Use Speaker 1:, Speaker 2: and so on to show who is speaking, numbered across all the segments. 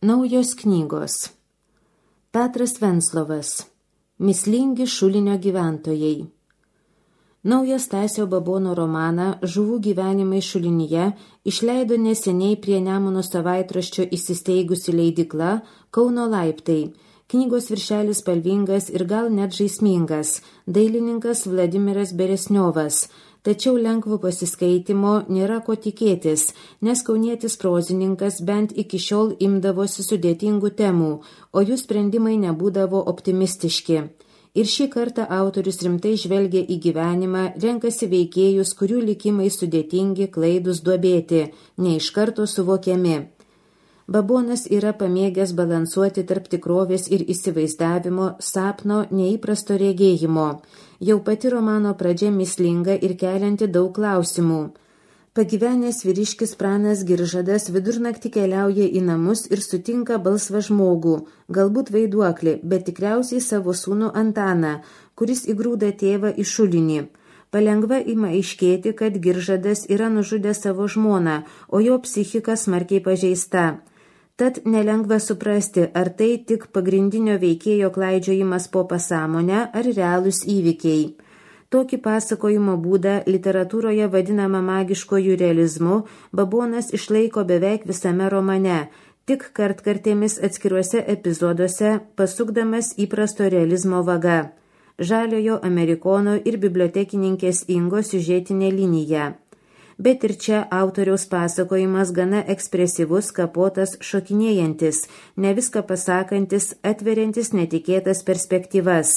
Speaker 1: Naujos knygos. Petras Venclovas. Mįslingi Šulinio gyventojai. Naujas Stasio Babono romaną Žuvų gyvenimai Šulinyje išleido neseniai prie Nemuno savaitraščio įsisteigusi leidykla Kauno laiptai. Knygos viršelis spalvingas ir gal net žaismingas. Dailininkas Vladimiras Beresniovas. Tačiau lengvo pasiskaitimo nėra ko tikėtis, nes kaunietis prozininkas bent iki šiol imdavosi sudėtingų temų, o jų sprendimai nebūdavo optimistiški. Ir šį kartą autorius rimtai žvelgia į gyvenimą, renkasi veikėjus, kurių likimai sudėtingi, klaidūs, duobėti, ne iš karto suvokiami. Babonas yra pamėgęs balansuoti tarp tikrovės ir įsivaizdavimo, sapno, neįprasto regėjimo. Jau pati romano pradžia mįslinga ir kelianti daug klausimų. Pagyvenęs vyriškis Pranas Giržadas vidurnaktį keliauja į namus ir sutinka balsvą žmogų, galbūt vaiduoklį, bet tikriausiai savo sūnų Antaną, kuris įgrūda tėvą į šulinį. Palengva ima aiškėti, kad Giržadas yra nužudęs savo žmoną, o jo psichika smarkiai pažeista. Tad nelengva suprasti, ar tai tik pagrindinio veikėjo klaidžiojimas po pasąmonę ar realūs įvykiai. Tokį pasakojimo būdą literatūroje vadinama magiškojų realizmu Babonas išlaiko beveik visame romane, tik kartkartėmis atskiruose epizoduose pasukdamas įprasto realizmo vaga. Žaliojo Amerikono ir bibliotekininkės Ingos siužetinė linija. Bet ir čia autoriaus pasakojimas gana ekspresyvus, kapotas, šokinėjantis, ne viską pasakantis, atveriantis netikėtas perspektyvas.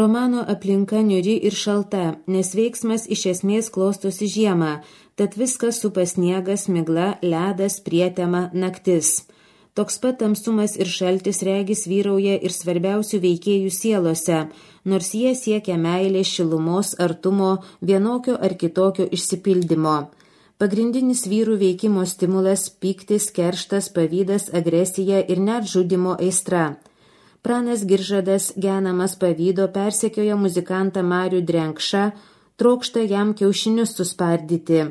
Speaker 1: Romano aplinka niūri ir šalta, nes veiksmas iš esmės klostosi žiemą, tad viskas supa sniegas, migla, ledas, prietema, naktis. Toks pat tamsumas ir šaltis regis vyrauja ir svarbiausių veikėjų sielose, nors jie siekia meilės, šilumos, artumo, vienokio ar kitokio išsipildymo. Pagrindinis vyrų veikimo stimulas – pyktis, kerštas, pavydas, agresija ir net žudymo aistra. Pranas Giržadas, genamas pavydo, persekioja muzikantą Marių Drenkšą, trokšta jam kiaušinius suspardyti.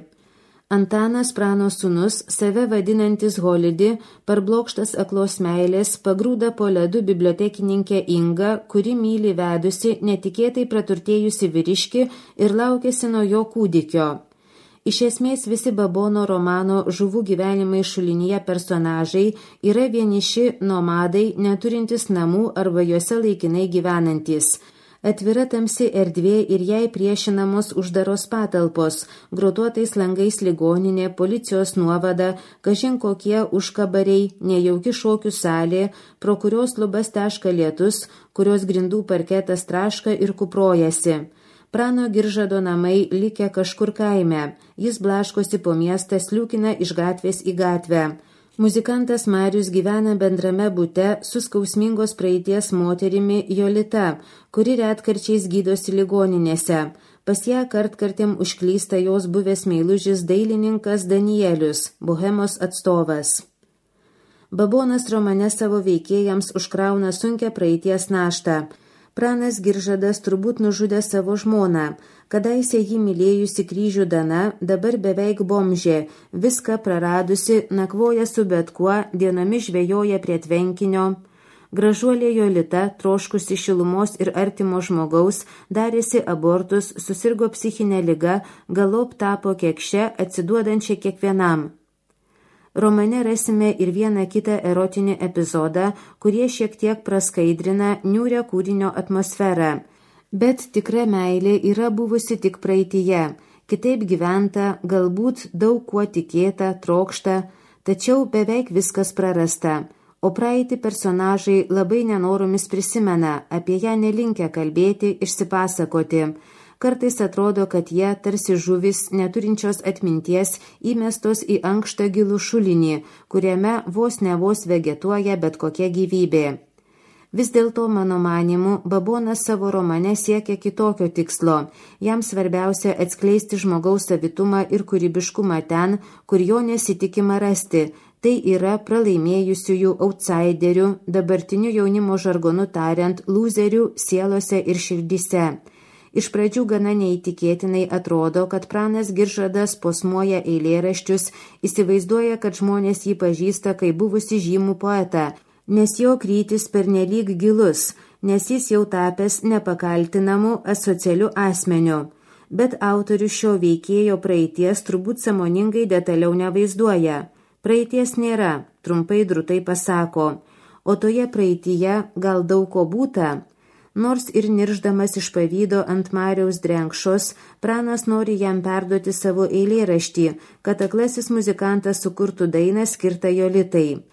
Speaker 1: Antanas, Prano sūnus, save vadinantis Holidi, parblokštas aklos meilės, pagrūda po ledu bibliotekininkę Ingą, kuri myli vedusi, netikėtai praturtėjusi vyriškį ir laukiasi nuo jo kūdikio. Iš esmės visi Babono romano Žuvų gyvenimai Šulinyje personažai yra vieniši nomadai, neturintys namų arba juose laikinai gyvenantys. Atvira tamsi erdvė ir jai priešinamos uždaros patalpos, grotuotais langais ligoninė, policijos nuovada, kažin kokie užkabariai, nejauki šokių salė, pro kurios lubas teška lietus, kurios grindų parketas traška ir kuprojasi. Prano Giržado namai likę kažkur kaime, jis blaškosi po miestą, sliūkina iš gatvės į gatvę. Muzikantas Marius gyvena bendrame bute su skausmingos praeities moterimi Jolita, kuri retkarčiais gydosi ligoninėse. Pas ją kartkartėm užklysta jos buvęs meilužis dailininkas Danielius, bohemos atstovas. Babonas romane savo veikėjams užkrauna sunkią praeities naštą. Pranas Giržadas turbūt nužudė savo žmoną. Kadaise jį mylėjusi kryžių Dana, dabar beveik bomžė, viską praradusi, nakvoja su bet kuo, dienomis žvejoja prie tvenkinio. Gražuolė Jolita, troškusi šilumos ir artimo žmogaus, darėsi abortus, susirgo psichinė liga, galop tapo kekše, atsiduodančia kiekvienam. Romane rasime ir vieną kitą erotinį epizodą, kurie šiek tiek praskaidrina niūrią kūrinio atmosferą. Bet tikra meilė yra buvusi tik praeityje, kitaip gyventa, galbūt daug kuo tikėta, trokšta, tačiau beveik viskas prarasta. O praeitį personažai labai nenoromis prisimena, apie ją nelinkę kalbėti, išsipasakoti. Kartais atrodo, kad jie, tarsi žuvis, neturinčios atminties, įmestos į ankštą gilų šulinį, kuriame vos ne vos vegetuoja bet kokia gyvybė. Vis dėlto, mano manimu, Babonas savo romane siekia kitokio tikslo. Jam svarbiausia atskleisti žmogaus savitumą ir kūrybiškumą ten, kur jo nesitikima rasti. Tai yra pralaimėjusiųjų outsiderių, dabartinių jaunimo žargonu tariant, lūzerių sielose ir širdyse. Iš pradžių gana neįtikėtinai atrodo, kad pranas Giržadas posmuoja eilėraščius, įsivaizduoja, kad žmonės jį pažįsta kaip buvusi žymų poetą, nes jo krytis pernelyg gilus, nes jis jau tapęs nepakaltinamu asocialiu asmeniu. Bet autorius šio veikėjo praeities turbūt sąmoningai detaliau nevaizduoja. Praeities nėra, trumpai drutai pasako, o toje praeityje gal daug ko būta. Nors ir nirždamas iš pavydo ant Mariaus Drenkšos, pranas nori jam perduoti savo eilėraštį, kad aklasis muzikantas sukurtų dainą skirtą Jolitai.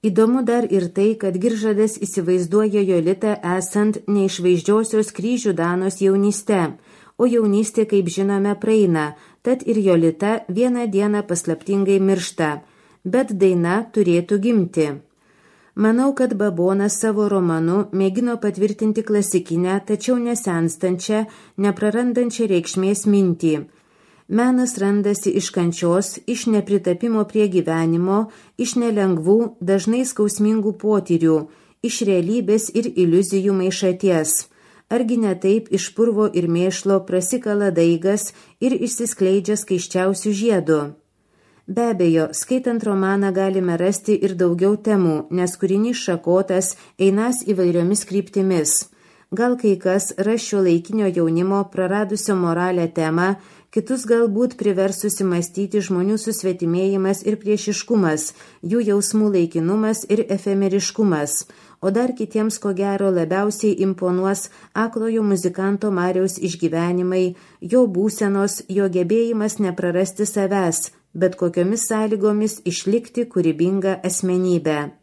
Speaker 1: Įdomu dar ir tai, kad Giržadas įsivaizduoja Jolitą esant neišvaizdžiosios kryžių Danos jaunyste, o jaunystė, kaip žinome, praeina, tad ir Jolita vieną dieną paslaptingai miršta, bet daina turėtų gimti. Manau, kad Babonas savo romanu mėgino patvirtinti klasikinę, tačiau nesenstančią, neprarandančią reikšmės mintį. Menas randasi iš kančios, iš nepritapimo prie gyvenimo, iš nelengvų, dažnai skausmingų potyrių, iš realybės ir iliuzijų maišaties. Argi ne taip iš purvo ir mėšlo prasikala daigas ir išsiskleidžia skaisčiausių žiedų? Be abejo, skaitant romaną galime rasti ir daugiau temų, nes kūrinys šakotas, einas įvairiomis kryptimis. Gal kai kas ras šiuolaikinio jaunimo praradusio moralę temą, kitus galbūt privers susimastyti žmonių susvetimėjimas ir priešiškumas, jų jausmų laikinumas ir efemeriškumas, o dar kitiems ko gero labiausiai imponuos aklojo muzikanto Mariaus išgyvenimai, jo būsenos, jo gebėjimas neprarasti savęs, bet kokiomis sąlygomis išlikti kūrybingą asmenybę.